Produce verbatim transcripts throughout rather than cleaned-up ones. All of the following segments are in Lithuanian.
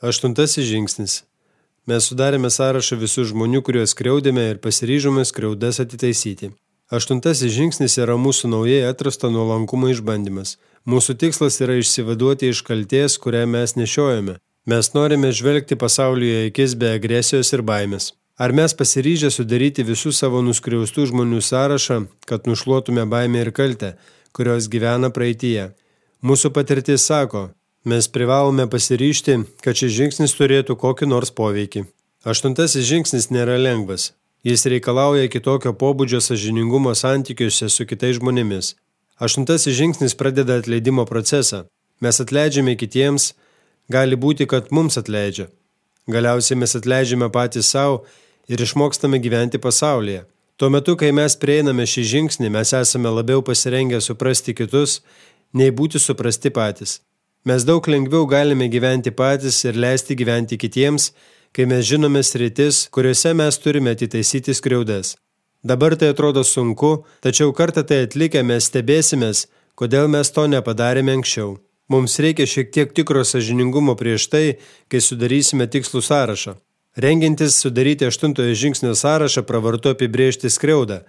Aštuntasis žingsnis. Mes sudarėme sąrašą visų žmonių, kuriuos skriaudėme ir pasiryžome skriaudas atitaisyti. Aštuntasis žingsnis yra mūsų naujai atrasto nuolankumo išbandymas. Mūsų tikslas yra išsivaduoti iš kaltės, kurią mes nešiojame. Mes norime žvelgti pasaulyje akis be agresijos ir baimės. Ar mes pasiryžę sudaryti visų savo nuskriaustų žmonių sąrašą, kad nušluotume baimę ir kaltę, kurios gyvena praeityje? Mūsų patirtis sako, mes privalome pasiryžti, kad šis žingsnis turėtų kokį nors poveikį. Aštuntasis žingsnis nėra lengvas. Jis reikalauja kitokio pobūdžio sąžiningumo santykiuose su kitais žmonėmis. Aštuntasis žingsnis pradeda atleidimo procesą. Mes atleidžiame kitiems, gali būti, kad mums atleidžia. Galiausiai mes atleidžiame patys savo ir išmokstame gyventi pasaulyje. Tuo metu, kai mes prieiname šį žingsnį, mes esame labiau pasirengę suprasti kitus, nei būti suprasti patys. Mes daug lengviau galime gyventi patys ir leisti gyventi kitiems, kai mes žinome sritis, kuriuose mes turime atitaisyti skriaudas. Dabar tai atrodo sunku, tačiau kartą tai atlikę mes stebėsimės, kodėl mes to nepadarėme anksčiau. Mums reikia šiek tiek tikro sąžiningumo prieš tai, kai sudarysime tikslų sąrašą. Rengiantis sudaryti aštuntojo žingsnio sąrašą, pravartu apibrėžti skriaudą.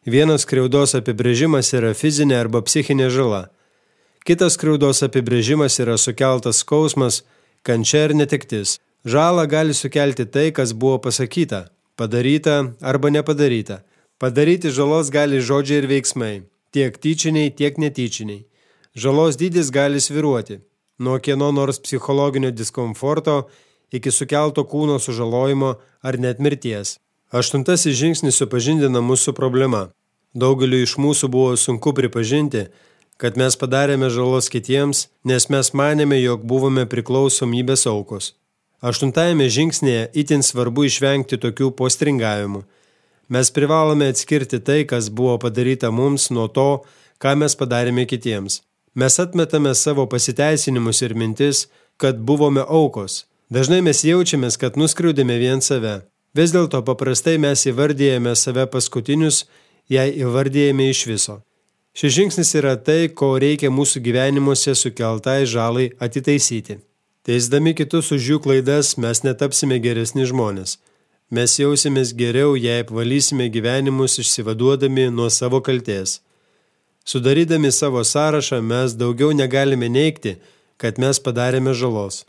Vienas skriaudos apibrėžimas yra fizinė arba psichinė žala. Kitas skriaudos apibrėžimas yra sukeltas skausmas, kančia ir netektis. Žalą gali sukelti tai, kas buvo pasakyta, padaryta arba nepadaryta. Padaryti žalos gali žodžiai ir veiksmai, tiek tyčiniai, tiek netyčiniai. Žalos dydis gali svyruoti, nuo kieno nors psichologinio diskomforto iki sukelto kūno sužalojimo ar net mirties. Aštuntasis žingsnis supažindina mūsų problema. Daugeliu iš mūsų buvo sunku pripažinti, kad mes padarėme žalos kitiems, nes mes manėme, jog buvome priklausomybės aukos. Aštuntajame žingsnėje itin svarbu išvengti tokių postringavimų. Mes privalome atskirti tai, kas buvo padaryta mums, nuo to, ką mes padarėme kitiems. Mes atmetame savo pasiteisinimus ir mintis, kad buvome aukos. Dažnai mes jaučiamės, kad nuskriaudėme vien save. Vis dėlto paprastai mes įvardyjame save paskutinius, jei įvardyjame iš viso. Šis žingsnis yra tai, ko reikia mūsų gyvenimuose sukeltai žalai atitaisyti. Teisdami kitus už jų klaidas mes netapsime geresni žmonės. Mes jausimės geriau, jei apvalysime gyvenimus išsivaduodami nuo savo kaltės. Sudarydami savo sąrašą mes daugiau negalime neigti, kad mes padarėme žalos.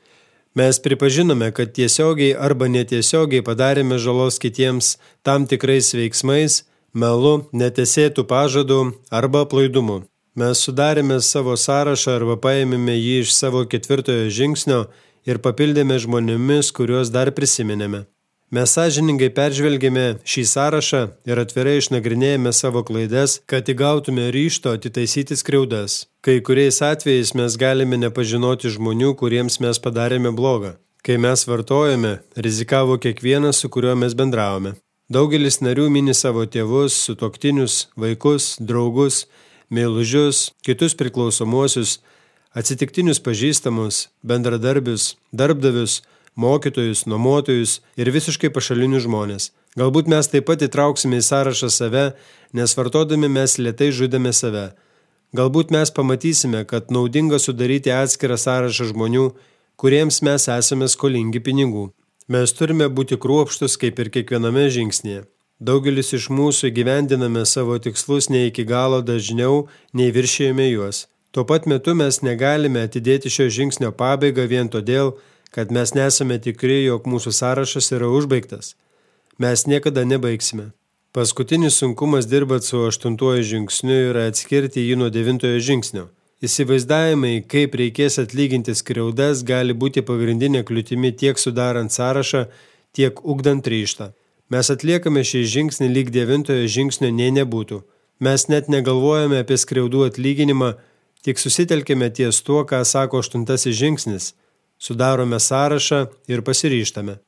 Mes pripažinome, kad tiesiogiai arba netiesiogiai padarėme žalos kitiems tam tikrais veiksmais, melu, netesėtų pažadų arba aplaidumu. Mes sudarėme savo sąrašą arba paėmėme jį iš savo ketvirtojo žingsnio ir papildėme žmonėmis, kuriuos dar prisiminėme. Mes sąžiningai peržvelgėme šį sąrašą ir atvirai išnagrinėjome savo klaidas, kad įgautume ryžto atitaisyti skriaudas. Kai kuriais atvejais mes galime nepažinoti žmonių, kuriems mes padarėme blogą. Kai mes vartojame, rizikavo kiekvienas, su kuriuo mes bendravome. Daugelis narių mini savo tėvus, sutuoktinius, vaikus, draugus, meilužius, kitus priklausomuosius, atsitiktinius pažįstamus, bendradarbius, darbdavius, mokytojus, nuomotojus ir visiškai pašalinius žmonės. Galbūt mes taip pat įtrauksime į sąrašą save, nes vartodami mes lėtai žudėme save. Galbūt mes pamatysime, kad naudinga sudaryti atskirą sąrašą žmonių, kuriems mes esame skolingi pinigų. Mes turime būti kruopštūs kaip ir kiekviename žingsnėje. Daugelis iš mūsų įgyvendiname savo tikslus ne iki galo dažniau, nei viršijame juos. Tuo pat metu mes negalime atidėti šio žingsnio pabaigą vien todėl, kad mes nesame tikri, jog mūsų sąrašas yra užbaigtas. Mes niekada nebaigsime. Paskutinis sunkumas dirbant su aštuntuoju žingsniu yra atskirti jį nuo devintojo žingsnio. Įsivaizdavimai, kaip reikės atlyginti skriaudas, gali būti pagrindinė kliūtimi tiek sudarant sąrašą, tiek ugdant ryžtą. Mes atliekame šį žingsnį lyg devintojo žingsnio nei nebūtų. Mes net negalvojame apie skriaudų atlyginimą, tik susitelkime ties tuo, ką sako aštuntasis žingsnis. Sudarome sąrašą ir pasiryžtame.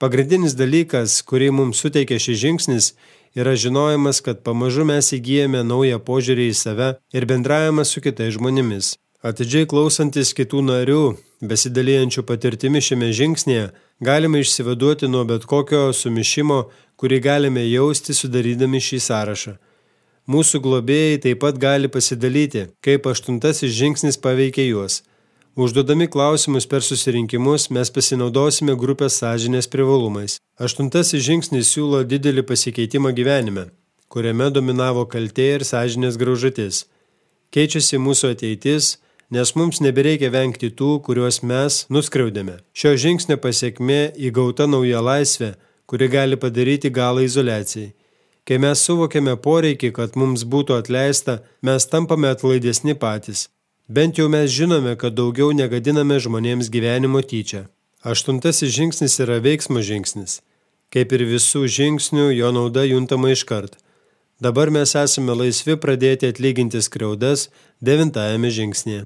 Pagrindinis dalykas, kurį mums suteikia šis žingsnis, yra žinojimas, kad pamažu mes įgyjame naują požiūrį į save ir bendravimą su kitais žmonėmis. Atidžiai klausantis kitų narių, besidalijančių patirtimi šiame žingsnėje, galime išsivaduoti nuo bet kokio sumišimo, kurį galime jausti sudarydami šį sąrašą. Mūsų globėjai taip pat gali pasidalyti, kaip aštuntasis žingsnis paveikia juos. Užduodami klausimus per susirinkimus mes pasinaudosime grupės sąžinės privalumais. Aštuntasis žingsnis siūlo didelį pasikeitimą gyvenime, kuriame dominavo kaltė ir sąžinės graužatis. Keičiasi mūsų ateitis, nes mums nebereikia vengti tų, kuriuos mes nuskriaudėme. Šio žingsnio pasiekmė įgauta nauja laisvė, kuri gali padaryti galą izoliacijai. Kai mes suvokiame poreikį, kad mums būtų atleista, mes tampame atlaidesni patys. Bent jau mes žinome, kad daugiau negadiname žmonėms gyvenimo tyčia. Aštuntasis žingsnis yra veiksmo žingsnis. Kaip ir visų žingsnių, jo nauda juntama iškart. Dabar mes esame laisvi pradėti atlyginti skriaudas devintajame žingsnyje.